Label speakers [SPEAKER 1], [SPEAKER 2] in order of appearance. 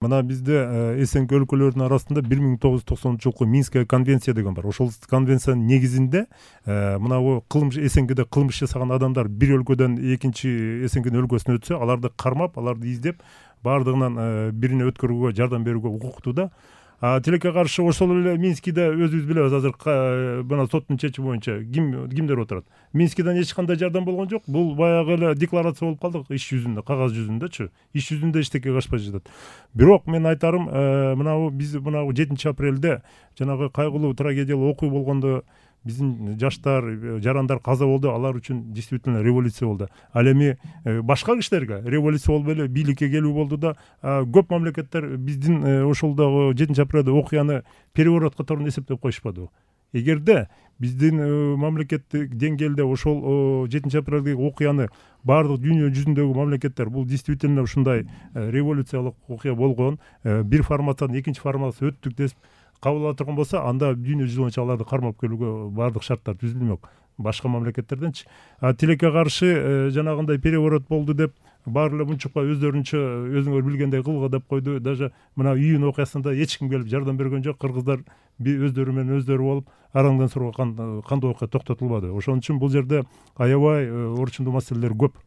[SPEAKER 1] Мына бизде СНГ өлкөлөрүнүн арасында 1990 жылкы Минская конвенция деген бар. Ошол конвенциянын негизинде мына бу СНГде кылмыш жасаган адамдар бир өлкөдөн экинчи СНГнын өлкөсүнө өтсө, аларды кармап, аларды издеп, баардыгынан бирине өткөрүүгө жардам берүүгө укуктуу да. Тилекке каршы ошол эле Минскиде өзүбүз билебиз, азыр мына соттун чечими боюнча кимдер отурат. Минскиден эч кандай жардам болгон жок. Бул баягы эле декларация болуп калды иш жүзүндө, кагаз жүзүндөчү. Иш жүзүндө эчтеке кылышпай жатат. Бирок мен айтарым, биз 7-апрелде жанагы кайгылуу трагедиялуу окуя болгондо биздин жаштар, жарандар каза болду. Алар үчүн действительно революция болду. Ал эми башка кишилерге революция болуп эле бийликке келүү болду да, көп мамлекеттер биздин ошолдогу 7-апрелде окуяны переворот катарында эсептеп коюшпадыбы? Эгерде биздин мамлекеттик деңгээлде ошол 7-апрелдеги окуяны баардык дүйнө жүзүндөгү мамлекеттер бул действительно ушундай революциялык окуя болгон, бир форматтан экинчи форматка өттүк деп кабыл ала турган болсо, анда дүйнө жүзү боюнча аларды кармап келүүгө баардык шарттар түзүлмөк башка мамлекеттерденчи. Тилекке каршы жанагындай переворот болду деп баары эле мунчукка өзүңөр билгендей кылга деп койду. Даже мына июнь окуясында эч ким келип жардам берген жок. Кыргыздар өздөрү менен өздөрү болуп, араңдан сураган кандай окуя токтотулбады. Ошон үчүн бул жерде аябай орчундуу маселелер көп.